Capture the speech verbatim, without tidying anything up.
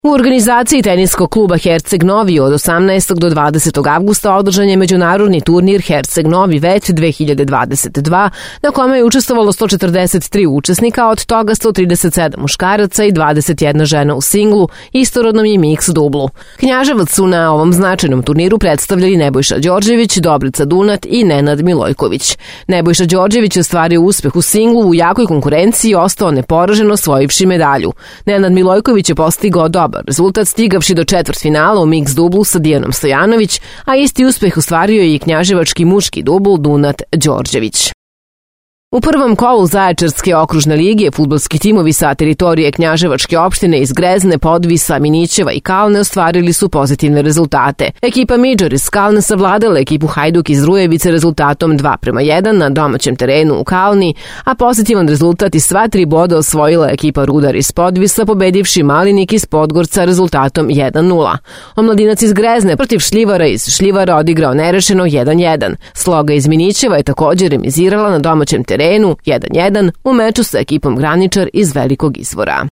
U organizaciji teniskog kluba Herceg Novi od osamnaestog do dvadesetog avgusta održan je međunarodni turnir Herceg Novi Vet dve hiljade dvadeset dva, na kome je učestvovalo sto četrdeset tri učesnika, od toga sto trideset sedam muškaraca i dvadeset jedna žena u singlu, istorodnom i miks dublu. Knjaževac su na ovom značajnom turniru predstavljali Nebojša Đorđević, Dobrica Dunat i Nenad Milojković. Nebojša Đorđević je ostvario uspeh u singlu u jakoj konkurenciji i ostao neporažen osvojivši medalju. Nenad Milojković je postigao dobar rezultat stigavši do četvrtfinala u miks dublu sa Dijanom Stojanović, a isti uspeh ostvario je i knjaževački muški dubl Dunat Đorđević. U prvom kolu Zaječarske okružne lige fudbalski timovi sa teritorije Knjaževačke opštine iz Grezne, Podvisa, Minićeva i Kalne ostvarili su pozitivne rezultate. Ekipa Midžor iz Kalne savladala ekipu Hajduk iz Rujevice rezultatom dva prema jedan na domaćem terenu u Kalni, a pozitivan rezultat i sva tri boda osvojila ekipa Rudar iz Podvisa, pobedivši Malinik iz Podgorca rezultatom jedan nula. Omladinac iz Grezne protiv Šljivara iz Šljivara odigrao nerešeno jedan jedan. Sloga iz Minićeva je također remizirala na domaćem terenu jedan jedan u meču sa ekipom Graničar iz Velikog Izvora.